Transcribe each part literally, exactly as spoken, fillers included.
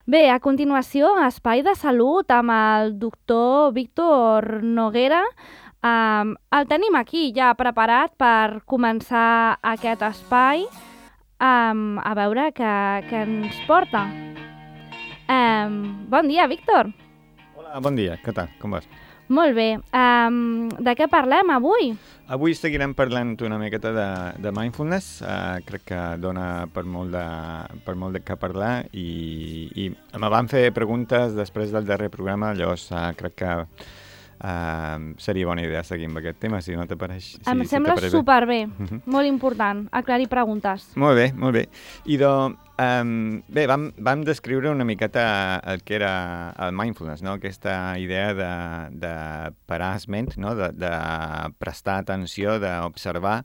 Bé, a continuació, Espai de Salut amb el doctor Víctor Noguera. Um, el tenim aquí ja preparat per començar aquest espai, um, a veure què, què ens porta. Um, bon dia, Víctor. Hola, bon dia. Què tal? Com vas? Molt bé. Um, de què parlem avui? Avui seguirem parlant una miqueta de, de mindfulness. Uh, crec que dona per molt de, per molt de què parlar i, i me van fer preguntes després del darrer programa, llavors uh, crec que uh, seria bona idea seguir amb aquest tema, si no t'apareix. Si, em si sembla superbé, uh-huh. Molt important, aclarir preguntes. Molt bé, molt bé. I doncs, um, bé, vam, vam descriure una miqueta el que era el mindfulness, no? Aquesta idea de, de parar ment, no? de, de prestar atenció, d'observar,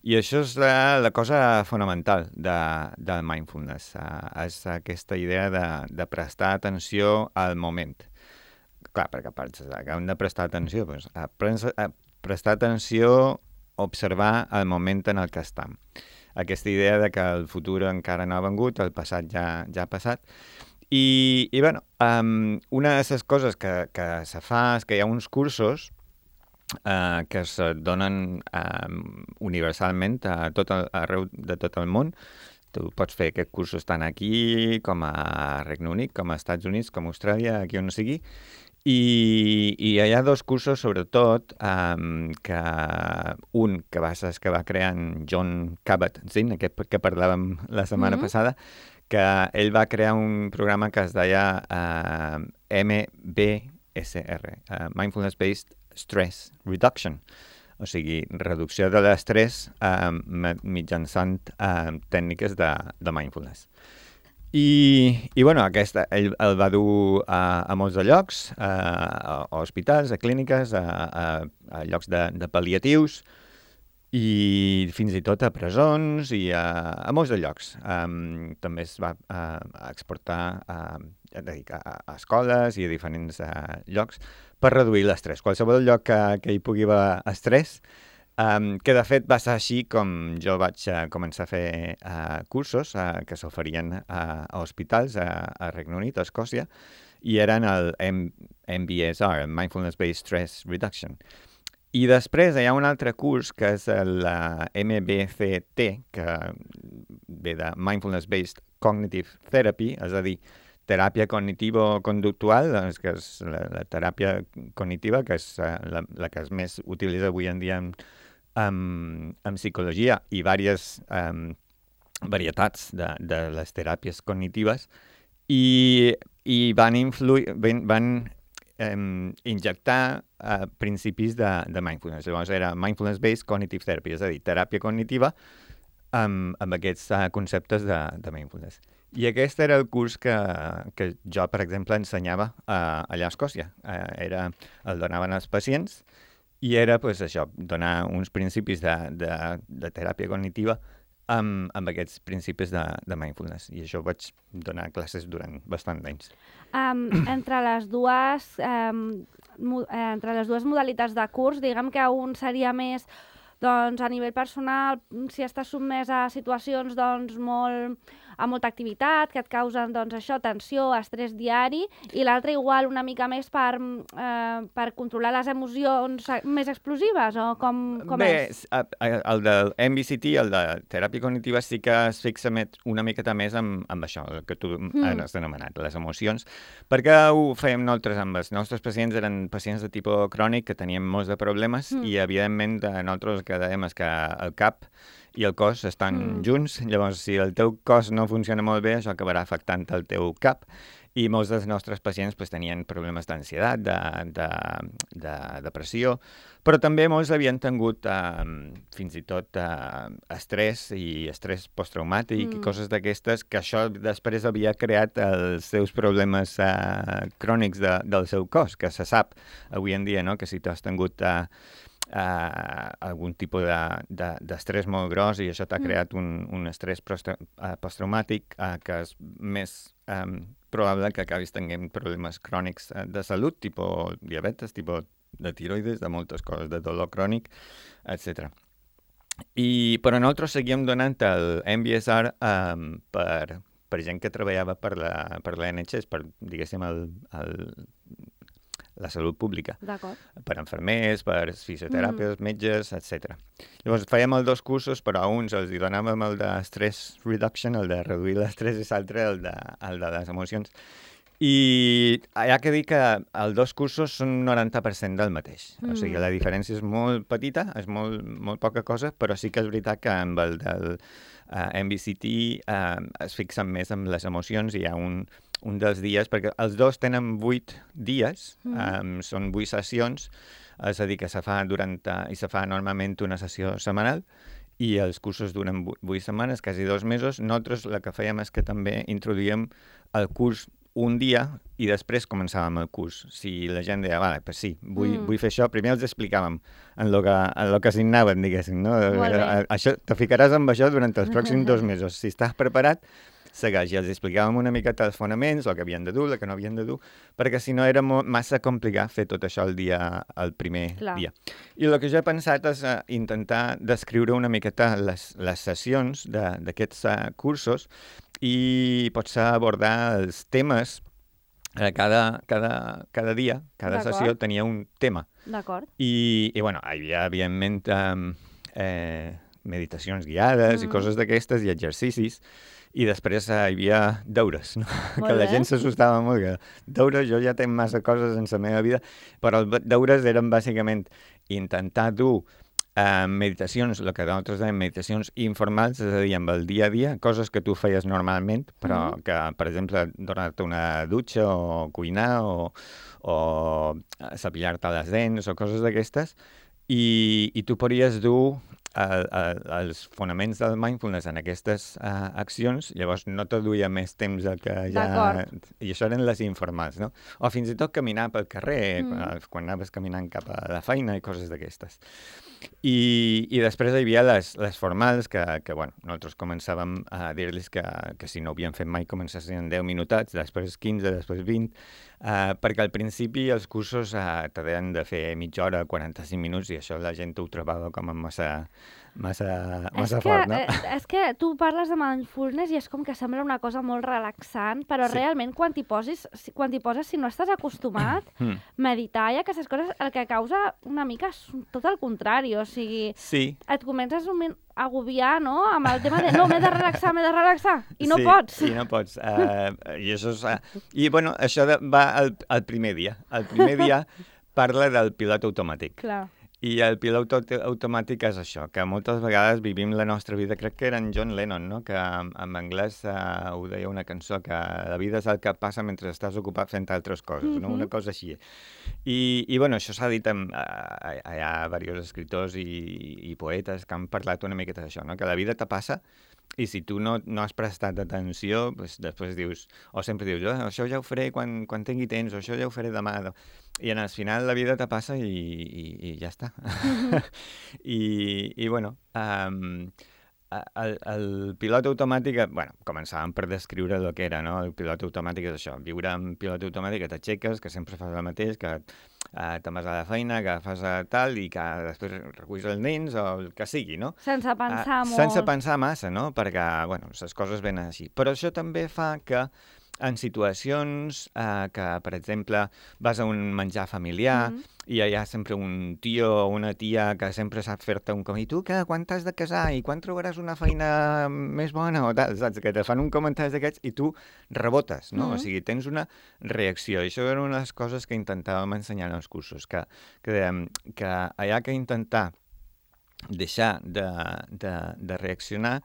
i això és la, la cosa fonamental de, del mindfulness, uh, és aquesta idea de, de prestar atenció al moment. Clar, perquè penses que hem de prestar atenció, doncs, a, pres, a prestar atenció, observar el moment en el que estem. Aquesta idea de que el futur encara no ha vengut, el passat ja, ja ha passat. I, i bueno, um, una de les coses que, que se fa és que hi ha uns cursos uh, que es donen um, universalment a tot el, arreu de tot el món. Tu pots fer aquests cursos tant aquí com a Regne Unit, com a Estats Units, com a Austràlia, aquí on sigui. I, i hi ha dos cursos, sobretot, um, que un que va, que va crear en Jon Kabat-Zinn, aquest que parlàvem la setmana mm-hmm. passada, que ell va crear un programa que es deia uh, M B S R, uh, Mindfulness Based Stress Reduction, o sigui, reducció de l'estrès uh, mitjançant uh, tècniques de, de mindfulness. I, i bueno, aquesta, ell el va dur a, a molts de llocs, a, a, a hospitals, a clíniques, a, a, a llocs de, de pal·liatius i fins i tot a presons i a, a molts de llocs. Um, també es va a, a exportar a, a, a, a escoles i a diferents a, llocs per reduir l'estrès. Qualsevol lloc que, que hi pugui haver estrès, Um, que de fet va ser així com jo vaig uh, començar a fer uh, cursos uh, que s'oferien uh, a hospitals a, a Regne Unit, a Escòcia, i eren el M B S R, el Mindfulness Based Stress Reduction. I després hi ha un altre curs que és el uh, M B C T, que ve de Mindfulness Based Cognitive Therapy, és a dir, teràpia cognitivo-conductual, doncs, que és la, la teràpia cognitiva, que és uh, la, la que es més utilitza avui en dia en amb, amb psicologia i diverses um, varietats de, de les teràpies cognitives i, i van, influir, van, van um, injectar uh, principis de, de mindfulness. Llavors era Mindfulness-Based Cognitive Therapy, és a dir, teràpia cognitiva amb, amb aquests uh, conceptes de, de mindfulness. I aquest era el curs que, que jo, per exemple, ensenyava uh, allà a Escòcia. Uh, era, el donaven als pacients i era, pues, això, donar uns principis de, de, de teràpia cognitiva amb, amb aquests principis de, de mindfulness. I això vaig donar classes durant bastant d'anys. Um, entre, les dues, um, mo, entre les dues modalitats de curs, diguem que un seria més doncs, a nivell personal, si estàs sotmès a situacions doncs, molt, amb molta activitat, que et causen doncs, això, tensió, estrès diari, i l'altre igual una mica més per, eh, per controlar les emocions més explosives, o com, com Bé, és? Bé, el del M B C T, el de teràpia cognitiva, sí que es fixa una miqueta més amb, amb això, el que tu mm. has anomenat, les emocions, perquè ho fèiem nosaltres amb els nostres pacients, eren pacients de tipus crònic que tenien molts de problemes mm. i, evidentment, nosaltres el que dèiem és que el cap i el cos estan mm. junts, llavors si el teu cos no funciona molt bé, això acabarà afectant el teu cap, i molts dels nostres pacients pues, tenien problemes d'ansietat, de, de, de depressió, però també molts havien tingut eh, fins i tot eh, estrès i estrès posttraumàtic mm. i coses d'aquestes, que això després havia creat els seus problemes eh, crònics de, del seu cos, que se sap avui en dia, no?, que si tu has tingut eh, Uh, algun tipus d'estrès de, de, molt gros i això t'ha mm. creat un, un estrès posttraumàtic uh, que és més um, probable que acabis tenint problemes crònics uh, de salut, tipus diabetes, tipus de tiroides, de moltes coses, de dolor crònic, etcètera. I, però nosaltres seguíem donant el M B S R um, per, per gent que treballava per la, per l'N H S, per, diguéssim, el, el, la salut pública. D'acord. Per infermers, per fisioteràpies, mm. metges, etcètera. Llavors fèiem els dos cursos, però a uns els hi donàvem el de stress reduction, el de reduir l'estrès, i l'altre el, de, el de les emocions. I hi ha que dir que els dos cursos són un noranta per cent del mateix. Mm. O sigui, la diferència és molt petita, és molt, molt poca cosa, però sí que és veritat que amb el del uh, M B C T uh, es fixen més en les emocions i hi ha un, un dels dies, perquè els dos tenen vuit dies, mm. um, són vuit sessions, és a dir, que se fa durant, uh, i se fa normalment una sessió setmanal, i els cursos duren vuit setmanes, quasi dos mesos. Nosaltres el que fèiem és que també introduïem el curs un dia i després començàvem el curs. Si la gent deia, vale, pues sí, vull, mm. vull fer això, primer els explicàvem en lo que, en lo que signaven, diguéssim, no? Això, te ficaràs amb això durant els pròxims dos mesos. Si estàs preparat, segueix. I els explicàvem una miqueta els fonaments, el que havien de dur, el que no havien de dur, perquè si no era massa complicat fer tot això el dia, el primer Clar. dia. I el que jo he pensat és uh, intentar descriure una miqueta les, les sessions d'aquests uh, cursos i potser abordar els temes. Eh, cada, cada, cada dia, cada sessió tenia un tema. D'acord. I, i bueno, hi havia, evidentment, um, eh, meditacions guiades mm. i coses d'aquestes i exercicis. I després eh, hi havia deures, no? Que la gent s'assustava molt. Que deures, jo ja tinc massa coses en la meva vida, però els deures eren bàsicament intentar dur Uh, meditacions, el que nosaltres dèiem meditacions informals, és a dir, amb el dia a dia, coses que tu feies normalment, però mm-hmm. que, per exemple, donar-te una dutxa o cuinar o, o cepillar-te les dents o coses d'aquestes, i, i tu podries dur el, el, els fonaments del mindfulness en aquestes uh, accions, llavors no te duia més temps del que ja... I això eren les informals, no? O fins i tot caminar pel carrer, mm. quan, quan anaves caminant cap a la feina i coses d'aquestes. I, i després hi havia les, les formals, que, que bueno, nosaltres començàvem a dir-los que, que si no ho havien fet mai començassin deu minutats, després quinze, després vint, uh, perquè al principi els cursos uh, te deien de fer mitja hora, quaranta-cinc minuts, i això la gent ho trobava com a massa... massa, massa que, fort, no? Eh, és que tu parles de mindfulness i és com que sembla una cosa molt relaxant, però sí. realment quan t'hi posis, quan t'hi poses, si no estàs acostumat, mm. meditar i aquestes coses, el que causa una mica és tot el contrari, o sigui, sí. et comences un moment a agobiar, no?, amb el tema de no, m'he de relaxar, m'he de relaxar, i no sí, pots. i no pots. Uh, I això és... Uh, I, bueno, això de, va al, al primer dia. El primer dia parla del pilot automàtic. Clar. I el pilot automàtic és això, que moltes vegades vivim la nostra vida, crec que era en John Lennon, no?, que en, en anglès uh, ho deia una cançó, que la vida és el que passa mentre estàs ocupat fent altres coses, mm-hmm. no?, una cosa així. I, i bueno, això s'ha dit, amb, uh, hi ha diversos escriptors i, i poetes que han parlat una miqueta d'això, no?, que la vida te passa i si tu no, no has prestat atenció, pues, després dius, o sempre dius, oh, això ja ho faré quan, quan tingui temps, o això ja ho faré demà. I en el final la vida te passa i, i, i ja està. Mm-hmm. I, I, bueno, um, el, el pilot automàtic, bueno, començàvem per descriure el que era, no? El pilot automàtic és això, viure en pilot automàtic, que t'aixeques, que sempre fas el mateix, que uh, te'n vas a la feina, que fas uh, tal, i que després reculls els nens, o el que sigui, no? Sense pensar uh, molt. Sense pensar massa, no? Perquè, bueno, les coses venen així. Però això també fa que en situacions eh, que, per exemple, vas a un menjar familiar mm-hmm. i hi ha sempre un tio o una tia que sempre sap fer-te un com, i tu que quan t'has de casar i quan trobaràs una feina més bona o tal, saps? Que te fan un comentari d'aquests i tu rebotes, no? Mm-hmm. O sigui, tens una reacció. I això era una de les coses que intentàvem ensenyar en els cursos, que, que dèiem que hi ha que intentar deixar de, de, de reaccionar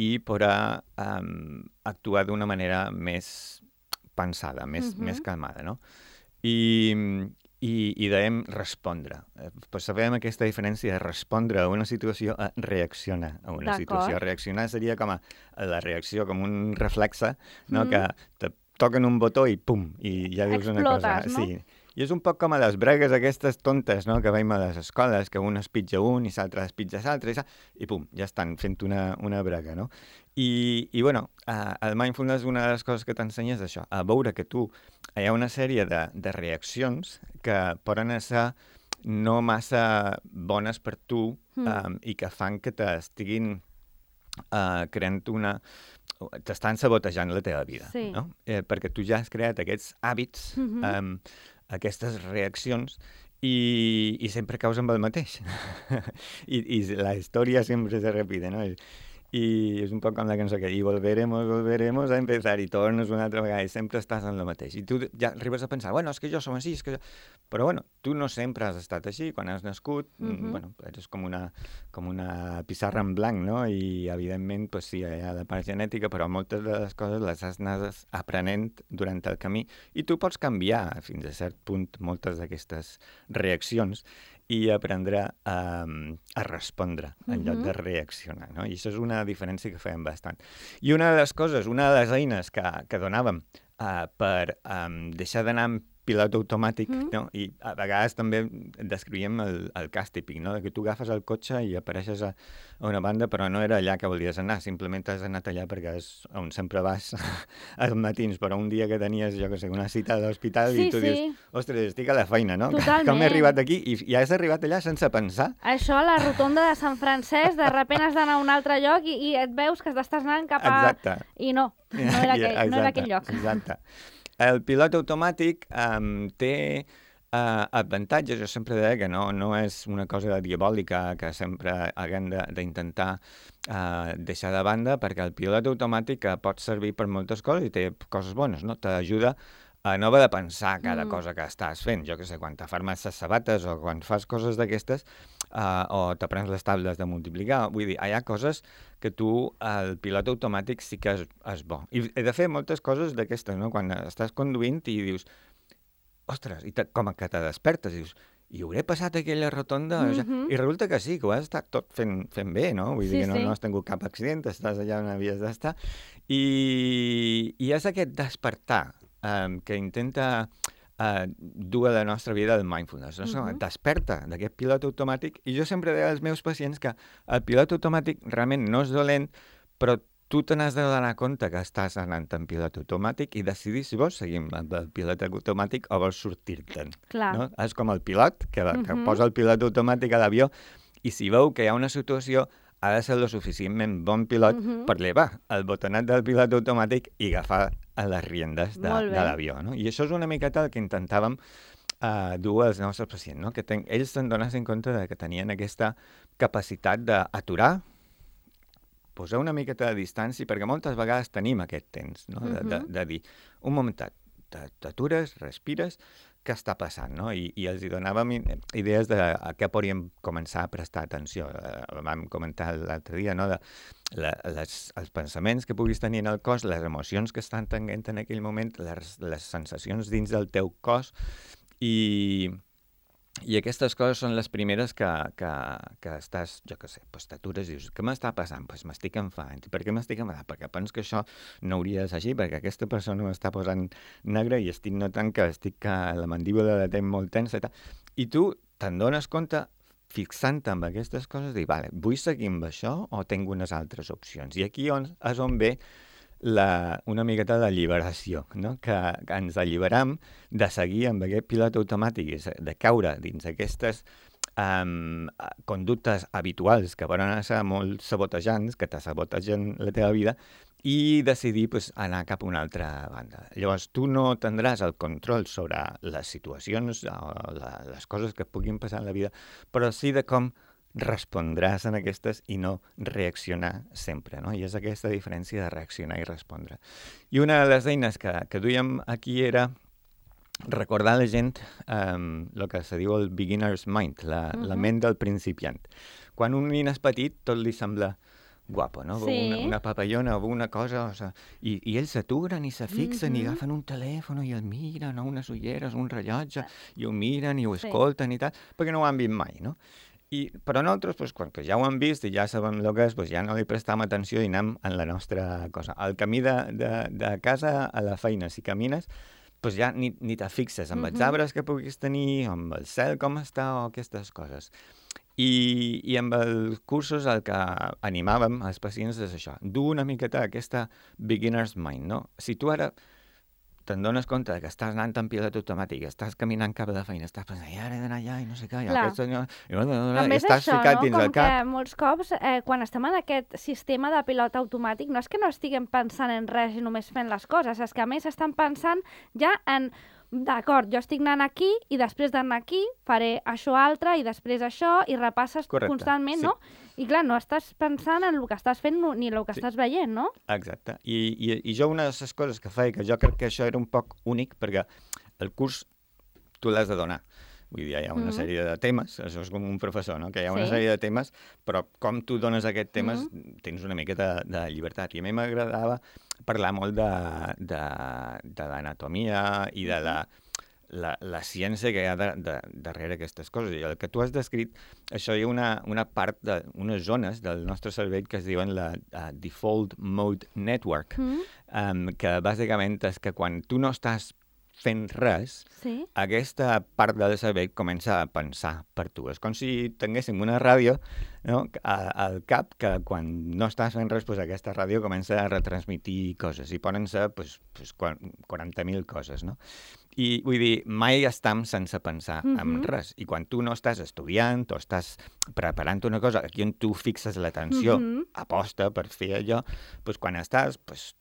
i poder um, actuar d'una manera més pensada, més, uh-huh. més calmada, no? I, i, i dèiem respondre. Pues sabem aquesta diferència de respondre a una situació a reaccionar a una situació. Reaccionar seria com a la reacció, com un reflexe, no? Mm. Que te toquen un botó i pum, i ja dius Explotes, una cosa. No? Sí. I és un poc com a les bregues aquestes tontes, no?, que veiem a les escoles, que un es pitja un i l'altre es pitja l'altre, i, i pum, ja estan fent una, una brega, no? I, i bueno, uh, el mindfulness, una de les coses que t'ensenya és això, a veure que tu hi ha una sèrie de, de reaccions que poden ser no massa bones per tu mm. um, i que fan que t'estiguin uh, creant una t'estan sabotejant la teva vida, sí. no? Eh, perquè tu ja has creat aquests hàbits, Mm-hmm. um, aquestes reaccions, i, i sempre caus amb el mateix. I, I la història sempre se repite, no? I és un poc com la cançó que i volveremos, volveremos a empezar, i tornes una altra vegada i sempre estàs en el mateix. I tu ja arribes a pensar, bueno, és que jo som així, és que jo... Però bueno, tu no sempre has estat així. Quan has nascut, mm-hmm. bueno, eres com una, com una pissarra en blanc, no? I evidentment, pues, sí, hi ha la part genètica, però moltes de les coses les has anat aprenent durant el camí i tu pots canviar fins a cert punt moltes d'aquestes reaccions i aprendre a, a respondre en lloc de reaccionar, no? I això és una diferència que fèiem bastant. I una de les coses, una de les eines que, que donàvem uh, per um, deixar d'anar amb pilot automàtic, mm. no? I a vegades també descrivíem el, el cas típic, no? Que tu agafes el cotxe i apareixes a, a una banda, però no era allà que volies anar, simplement has anat allà perquè és on sempre vas als matins, però un dia que tenies, jo que sé, una cita a l'hospital sí, i tu sí. dius, ostres, estic a la feina, no? Totalment. Com he arribat aquí? I, I has arribat allà sense pensar. Això a la rotonda de Sant Francesc, de repent has d'anar a un altre lloc i, i et veus que estàs anant cap a... Exacte. I no, no era aquell, Exacte, no era aquell lloc. Exacte. El pilot automàtic um, té uh, avantatges. Jo sempre deia que no, no és una cosa diabòlica que sempre haguem d'intentar uh, deixar de banda, perquè el pilot automàtic pot servir per moltes coses i té coses bones, no? T'ajuda a no haver de pensar cada mm. cosa que estàs fent. Jo que sé, quan t'afarmes les sabates o quan fas coses d'aquestes, uh, o t'aprens les tables de multiplicar, vull dir, hi ha coses que tu, el pilot automàtic sí que és, és bo. I he de fer moltes coses d'aquestes, no? Quan estàs conduint i dius, ostres, i te, com que te despertes, dius, i hauré passat aquella rotonda? Mm-hmm. I resulta que sí, que ho has estat tot fent, fent bé, no? Vull sí, dir que no, sí. no has tingut cap accident, estàs allà on havies d'estar. I, i és aquest despertar um, que intenta uh, dur a la nostra vida el mindfulness. No? Mm-hmm. Desperta d'aquest pilot automàtic, i jo sempre deia als meus pacients que el pilot automàtic realment no és dolent, però tu te n'has de donar compte que estàs anant en pilot automàtic i decidir si vols seguir amb el pilot automàtic o vols sortir-te'n. No? És com el pilot, que, que mm-hmm. posa el pilot automàtic a l'avió, i si veu que hi ha una situació, ha de ser lo suficientment bon pilot mm-hmm. per levar el botonat del pilot automàtic i agafar les riendes de, de l'avió. No? I això és una miqueta el que intentàvem uh, dur als nostres pacients, no? Que ten, ells se'n donessin compte de que tenien aquesta capacitat d'aturar, posar una miqueta de distància, perquè moltes vegades tenim aquest temps, no? de, de, de dir, un momentet, t'atures, respires, què està passant, no? I, i els hi donàvem idees de a què podríem començar a prestar atenció. Eh, vam comentar l'altre dia, no? De la, les, els pensaments que puguis tenir en el cos, les emocions que estan tenint en aquell moment, les, les sensacions dins del teu cos, i... I aquestes coses són les primeres que, que, que estàs, jo què sé, pues t'atures i dius, què m'està passant? Pues m'estic enfadant. Per què m'estic enfadant? Perquè penso que això no hauria de ser així, perquè aquesta persona m'està posant negre i estic notant que estic que la mandíbula la tenc molt tensa i tal. I tu te'n dones compte, fixant-te amb aquestes coses, dir, vale, vull seguir amb això o tinc unes altres opcions? I aquí on, és on ve La, una miqueta de lliberació, no? que, que ens alliberam de seguir amb aquest pilot automàtic, de caure dins aquestes um, conductes habituals que poden ser molt sabotejants, que te sabotegen la teva vida, i decidir pues, anar cap a una altra banda. Llavors, tu no tindràs el control sobre les situacions o la, les coses que et puguin passar en la vida, però sí de com respondràs en aquestes i no reaccionar sempre, no? I és aquesta diferència de reaccionar i respondre. I una de les eines que, que duíem aquí era recordar a la gent um, el que se diu el beginner's mind, la, uh-huh. la ment del principiant. Quan un nen és petit, tot li sembla guapo, no? Sí. Una, una papallona o una cosa, o sea, i, i ells s'aturen i se fixen uh-huh. i agafen un telèfon i el miren, o unes ulleres, un rellotge, i ho miren i ho escolten sí. i tal, perquè no ho han vist mai, no? I, però nosaltres, pues, quan que ja ho hem vist i ja sabem el que és, pues, ja no li prestam atenció i anem en la nostra cosa. Al camí de, de, de casa a la feina, si camines, pues, ja ni, ni te fixes amb uh-huh. els arbres que puguis tenir, amb el cel com està o aquestes coses. I, i amb els cursos el que animàvem als pacients és això, dur una miqueta aquesta beginner's mind, no? Si tu ara te'n dones compte que estàs anant en pilot automàtic, estàs caminant cap a la feina, estàs pensant, i ara he d'anar allà i no sé què, i aquest senyor... I, i estàs això, ficat no? dins Com el cap. que molts cops, eh, quan estem en aquest sistema de pilot automàtic, no és que no estiguem pensant en res i només fent les coses, és que a més estan pensant ja en... D'acord, jo estic anant aquí i després d'anar aquí faré això altre i després això i repasses Correcte, constantment, sí. no? I clar, no estàs pensant en el que estàs fent ni el que sí. estàs veient, no? Exacte. I, i, I jo una de les coses que feia, que jo crec que això era un poc únic, perquè el curs tu l'has de donar. Vull dir, hi ha una mm-hmm. sèrie de temes, això és com un professor, no? Que hi ha una sí. sèrie de temes, però com tu dones aquests temes mm-hmm. tens una miqueta de, de llibertat. I a mi m'agradava parlar molt de, de, de l'anatomia i de la, la, la ciència que hi ha de, de, darrere aquestes coses. I el que tu has descrit, això hi ha una, una part, de, unes zones del nostre cervell que es diuen la uh, Default Mode Network, mm-hmm. um, que bàsicament és que quan tu no estàs fent res, sí. aquesta part del cervell comença a pensar per tu. És com si tinguéssim una ràdio, no? al cap, que quan no estàs fent res, pues aquesta ràdio comença a retransmitir coses, i poden ser pues, pues, quaranta mil coses. No? I vull dir, mai estem sense pensar mm-hmm. en res. I quan tu no estàs estudiant o estàs preparant una cosa, aquí on tu fixes l'atenció, mm-hmm. aposta per fer allò, pues, quan estàs... Pues,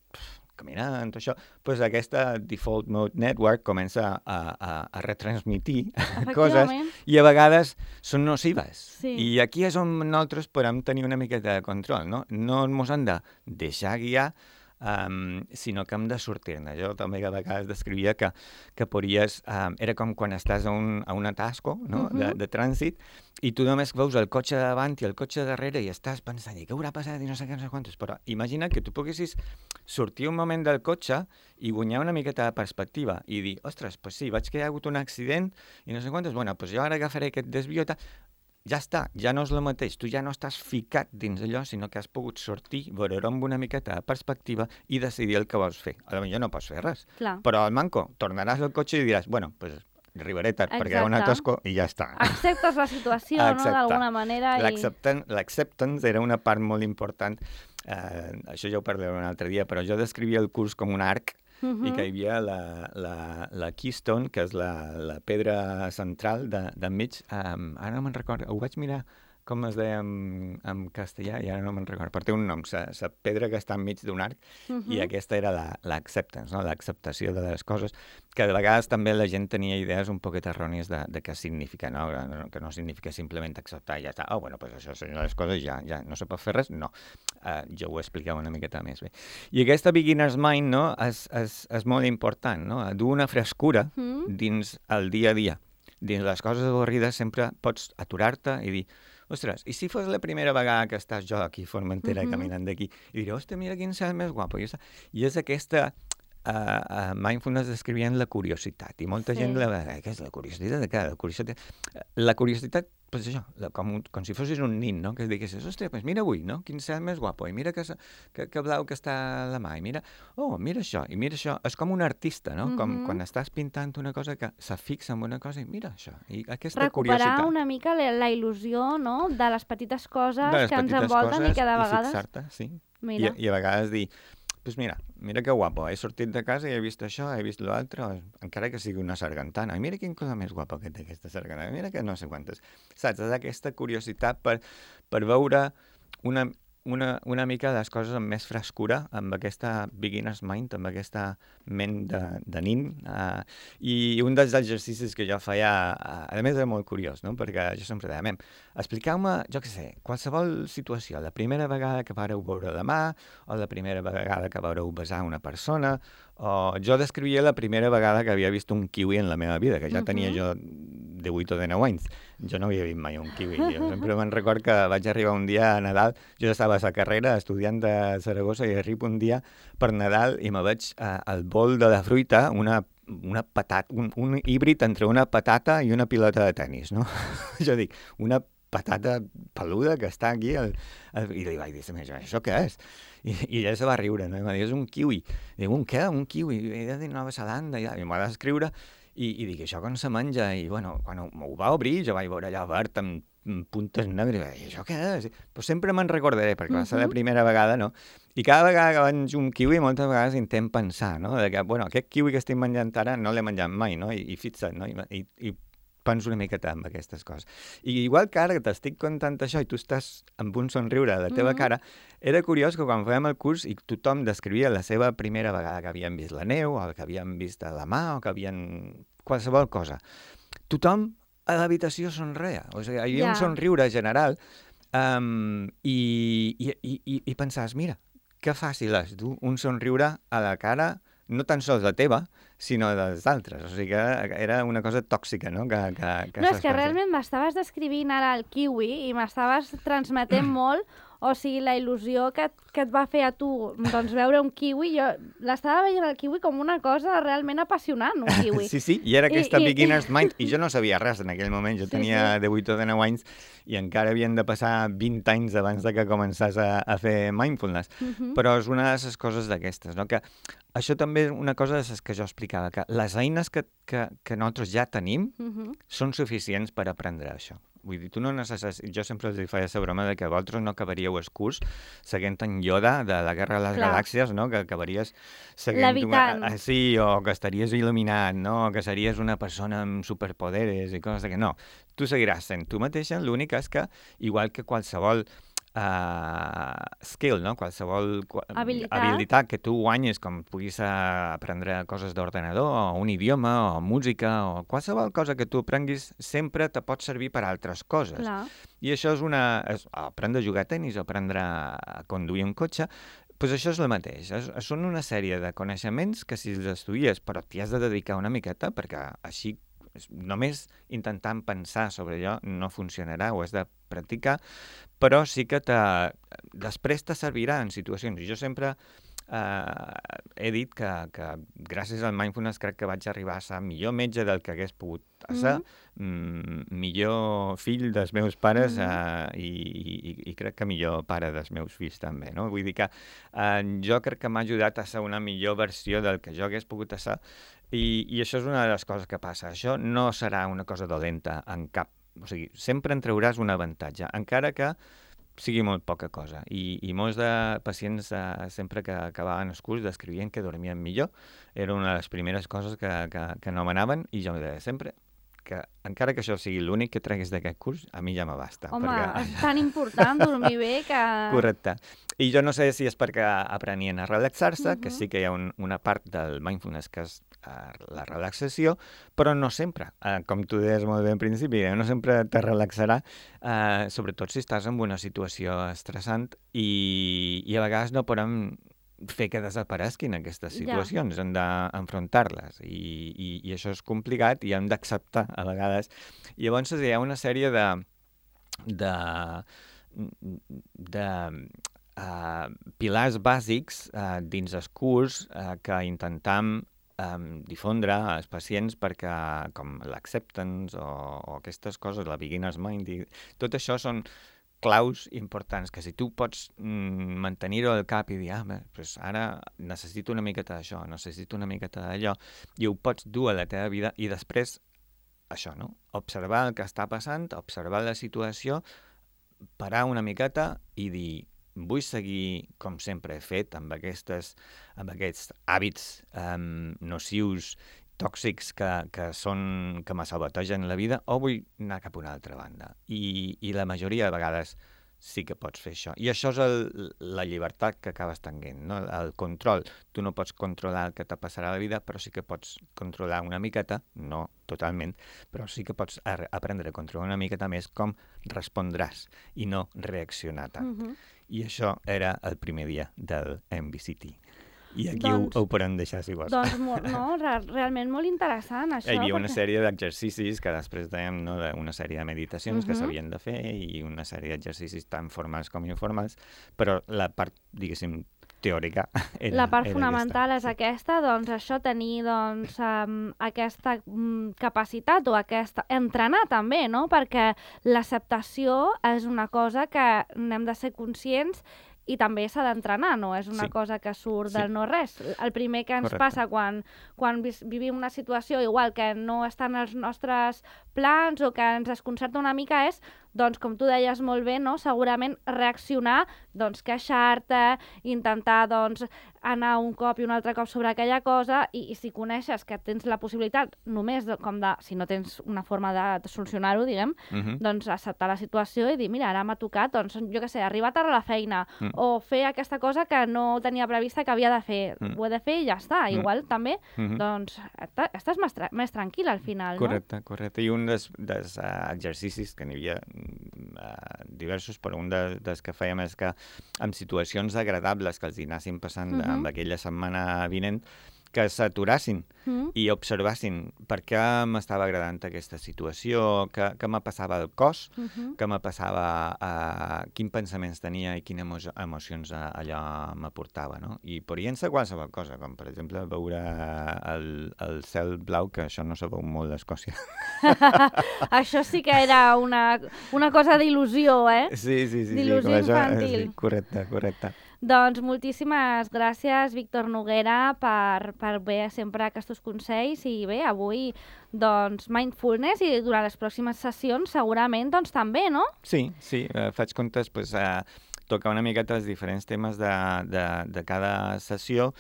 caminant, això, doncs aquesta Default Mode Network comença a, a, a retransmitir coses i a vegades són nocives. Sí. I aquí és on nosaltres podem tenir una miqueta de control, no? No ens hem de deixar guiar, um, sinó que hem de sortir-ne. Jo també a vegades descrivia que, que podries... Um, era com quan estàs a un, a un atasco, no? uh-huh. de, de trànsit, i tu només veus el cotxe davant i el cotxe darrere i estàs pensant, i què haurà passat i no sé què, no sé quantos. Però imagina que tu poguessis sortir un moment del cotxe i guanyar una miqueta de perspectiva i dir, ostres, doncs sí, veig que hi ha hagut un accident i no sé quantos, bueno, doncs jo ara agafaré aquest desvió, ja està, ja no és el mateix, tu ja no estàs ficat dins allò, sinó que has pogut sortir, veure-ho amb una miqueta de perspectiva i decidir el que vols fer. A potser no pots fer res, Clar. però al manco tornaràs al cotxe i diràs, bueno, doncs arribaré tard Exacte. perquè hi ha un atasco i ja està. Acceptes la situació, no?, d'alguna manera. I... L'acceptance era una part molt important. Eh, això ja ho parlaré un altre dia, però jo descrivia el curs com un arc uh-huh. i que hi havia la, la, la keystone, que és la, la pedra central d'enmig. Um, ara no me'n recordo, ho vaig mirar com es deia en, en castellà, i ara no me'n recordo, però té un nom, la pedra que està enmig d'un arc, uh-huh. i aquesta era l'acceptance, la, no? l'acceptació de les coses, que de vegades també la gent tenia idees un poquet errònies de, de què significa, no? Que no significa simplement acceptar i ja està, oh, bueno, pues això són les coses, ja, ja no se pot fer res, no. Uh, jo ho explicava una miqueta més bé. I aquesta beginner's mind, no?, és, és, és molt important, no?, dur una frescura uh-huh. dins el dia a dia. Dins les coses avorrides sempre pots aturar-te i dir, ostres, i si fos la primera vegada que estàs jo aquí a Formentera uh-huh. caminant d'aquí, i diré, ostres, mira quin cel més guapo. I, i és aquesta... Uh, uh, mindfulness descrivien la curiositat, i molta sí. gent la... Eh, què és la curiositat de què? La curiositat, la curiositat pues això, la, com, com si fossis un nin, no?, que es diguessis, ostres, pues mira avui, no?, quin cel més guapo, i mira que, que, que blau que està a la mà, i mira, oh, mira això, i mira això. És com un artista, no?, mm-hmm. com quan estàs pintant una cosa que se fixa en una cosa i mira això, i aquesta Recuperar curiositat. Recuperar una mica la, la il·lusió, no?, de les petites coses les que petites ens envolten i que de vegades... I fixar-te, sí. Mira. I, I a vegades dir, pues mira, mira que guapo, he sortit de casa i he vist això, he vist l'altre, encara que sigui una sargantana. I mira quin cosa més guapa que té aquesta sargantana, mira que no sé quantes. Saps? És aquesta curiositat per, per veure una, una, una mica de les coses amb més frescura, amb aquesta beginner's mind, amb aquesta ment de, de nin. Uh, I un dels exercicis que jo feia, uh, a més era molt curiós, no?, perquè jo sempre deia, mem, expliqueu-me, jo què sé, qualsevol situació, la primera vegada que vareu veure la mà, o la primera vegada que vareu besar una persona, o jo descrivia la primera vegada que havia vist un kiwi en la meva vida, que ja uh-huh. tenia jo divuit o dinou anys. Jo no havia vist mai un kiwi. Jo sempre me'n record que vaig arribar un dia a Nadal, jo estava a la carrera, estudiant de Saragossa, i arribo un dia per Nadal i me veig uh, al bol de la fruita una una patata, un, un híbrid entre una patata i una pilota de tennis, no? Jo dic, una patata peluda que està aquí, el, el, i li vaig dir, això què és? I, i ella se va riure, no? I em va dir, és un kiwi. I dic, un què? Un kiwi? I he de Nova Zelanda, i, i m'ho va descriure, i, i dic, això com se menja? I, bueno, quan ho, ho va obrir, jo vaig veure allà verd amb puntes negres, i això què és? Però sempre me'n recordaré, perquè va ser la primera vegada, no? I cada vegada que menjo un kiwi, moltes vegades intent pensar, no? De que, bueno, aquest kiwi que estic menjant ara no l'he menjat mai, no? I, i fixa't, no? I, i, i penso una miqueta en aquestes coses. I igual que ara que t'estic contant això i tu estàs amb un somriure a la teva Mhm. cara, era curiós que quan fèiem el curs i tothom descrivia la seva primera vegada que havien vist la neu, o que havien vist la mà, o que havien... qualsevol cosa. Tothom a l'habitació somreia. O sigui, hi havia Ja. un somriure general um, i, i, i, i, i pensaves, mira, que fàcil és dur un somriure a la cara, no tan sols la teva, sinó dels altres. O sigui que era una cosa tòxica, no? Que, que, que No, és que s'expressés. realment m'estaves descrivint ara el kiwi i m'estaves transmetent molt, o sigui, la il·lusió que, que et va fer a tu doncs, veure un kiwi. Jo l'estava veient el kiwi com una cosa realment apassionant, un kiwi. Sí, sí, i era aquesta I- i- beginner's mind, i jo no sabia res en aquell moment, jo Sí, tenia sí. divuit o dinou anys i encara havien de passar vint anys abans de que començàs a, a fer mindfulness. Mhm. Però és una de les coses d'aquestes, no? Que això també és una cosa de les que jo explicava, que les eines que, que, que nosaltres ja tenim Mhm. són suficients per aprendre això. Vull dir, tu no necessites... Jo sempre els feia la broma de que vosaltres no acabaríeu el curs seguint en Yoda de la Guerra de les Clar. Galàxies, no? Que acabaries seguint... Levitant. Una... Sí, o que estaries il·luminat, no? O que series una persona amb superpoderes i coses que no. Tu seguiràs sent tu mateixa, l'únic és que, igual que qualsevol uh, skill, no? Qualsevol qua- Habilitat. habilitat que tu guanyes, com puguis uh, aprendre coses d'ordenador, o un idioma, o música, o qualsevol cosa que tu aprenguis, sempre te pot servir per a altres coses. Clar. I això és una... És, aprendre a jugar a tennis, aprendre a conduir un cotxe, doncs això és el mateix. És, són una sèrie de coneixements que si els estudies, però t'hi has de dedicar una miqueta, perquè així només intentant pensar sobre allò no funcionarà, ho has de practicar, però sí que te, després te servirà en situacions. I jo sempre eh, he dit que, que gràcies al mindfulness crec que vaig arribar a ser millor metge del que hagués pogut ser, mm-hmm. mm, millor fill dels meus pares mm-hmm. eh, i, i, i crec que millor pare dels meus fills també, no? Vull dir que eh, jo crec que m'ha ajudat a ser una millor versió del que jo hagués pogut ser. I, I això és una de les coses que passa. Això no serà una cosa dolenta en cap... O sigui, sempre en trauràs un avantatge, encara que sigui molt poca cosa. I, i molts de pacients, eh, sempre que acabaven els curs, descrivien que dormien millor. Era una de les primeres coses que, que, que nomenaven, i jo em deia sempre que, encara que això sigui l'únic que treguis d'aquest curs, a mi ja m'abasta. Home, perquè... és tan important dormir bé que... Correcte. I jo no sé si és perquè aprenien a relaxar-se, Mhm. que sí que hi ha un, una part del mindfulness que és eh, la relaxació, però no sempre. Eh, com tu deies molt bé al principi, eh, no sempre te relaxarà, eh, sobretot si estàs en una situació estressant i, i a vegades no podem fer que desaparesquin aquestes situacions, ja. Hem d'enfrontar-les i, i, i això és complicat i hem d'acceptar a vegades. I llavors hi ha una sèrie de de, de uh, pilars bàsics uh, dins el curs uh, que intentam um, difondre als pacients perquè com l'acceptance o, o aquestes coses, la beginner's mind, i tot això són claus importants, que si tu pots mm, mantenir-ho al cap i dir, ah, pues ara necessito una miqueta d'això, necessito una miqueta d'allò, i ho pots dur a la teva vida, i després, això, no? Observar el que està passant, observar la situació, parar una miqueta i dir, vull seguir com sempre he fet, amb, aquestes, amb aquests hàbits um, nocius, tòxics que, que, són, que me sabotegen la vida, o vull anar cap a una altra banda. I, i la majoria de vegades sí que pots fer això. I això és el, la llibertat que acabes tenint, no? El control. Tu no pots controlar el que te passarà a la vida, però sí que pots controlar una miqueta, no totalment, però sí que pots aprendre a controlar una miqueta més com respondràs i no reaccionar tant. Mhm. I això era el primer dia del M B C T. I aquí doncs, ho, ho podem deixar, si vols. Doncs molt, no, re realment molt interessant, això. Hi havia perquè... una sèrie d'exercicis que després dèiem, no, una sèrie de meditacions uh-huh. que s'havien de fer i una sèrie d'exercicis tan formals com informals, però la part, diguéssim, teòrica era, la part era fonamental aquesta. és aquesta, doncs això, tenir doncs, um, aquesta um, capacitat o aquesta... entrenar també, no? Perquè l'acceptació és una cosa que n'hem de ser conscients i també s'ha d'entrenar, no és una sí. cosa que surt sí. del no-res. El primer que ens Correcte. passa quan, quan vivim una situació igual que no està en els nostres plans o que ens desconcerta una mica és doncs, com tu deies molt bé, no? Segurament reaccionar, doncs, queixar-te, intentar, doncs, anar un cop i un altre cop sobre aquella cosa i, i si coneixes que tens la possibilitat només de, com de, si no tens una forma de, de solucionar-ho, diguem, Uh -huh. doncs acceptar la situació i dir, mira, ara m'ha tocat, doncs, jo què sé, arribar tard a la feina Mm. o fer aquesta cosa que no tenia prevista que havia de fer. Mm. Ho he de fer i ja està. Mm. Igual també, Uh -huh. doncs, està- estàs més, tra més tranquil al final, Correcte, correcte. I un dels, dels uh, exercicis, que n'hi havia uh, diversos, però un de, dels que fèiem és que en situacions agradables que els hi anessin passant Mhm. amb aquella setmana vinent, que s'aturassin no? Mm? i observassin per què m'estava agradant aquesta situació, què, què me passava al cos, Mhm. què me passava, uh, quins pensaments tenia i quines emo emocions uh, allò m'aportava, no? I podien ser qualsevol cosa, com per exemple veure el, el cel blau, que això no se veu molt a Escòcia. Això sí que era una, una cosa d'il·lusió, eh? Sí, sí, sí. D'il·lusió sí, com això, infantil. Sí, correcte, correcte. Doncs moltíssimes gràcies, Víctor Noguera, per, per bé sempre aquests consells i bé, avui doncs mindfulness i durant les pròximes sessions segurament doncs també, no? Sí, sí, eh, faig comptes, pues, eh, tocar una miqueta els diferents temes de, de, de cada sessió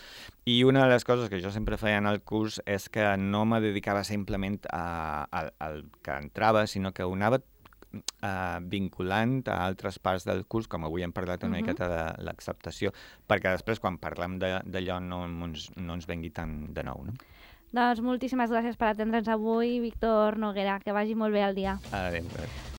i una de les coses que jo sempre feia en el curs és que no me dedicava simplement a, a, al que entrava, sinó que ho anava Uh, vinculant a altres parts del curs, com avui hem parlat una Mhm. miqueta de l'acceptació, perquè després quan parlem de- d'allò no, ens, no ens vengui tant de nou, no? Doncs moltíssimes gràcies per atendre'ns avui, Víctor Noguera. Que vagi molt bé el dia. Adéu.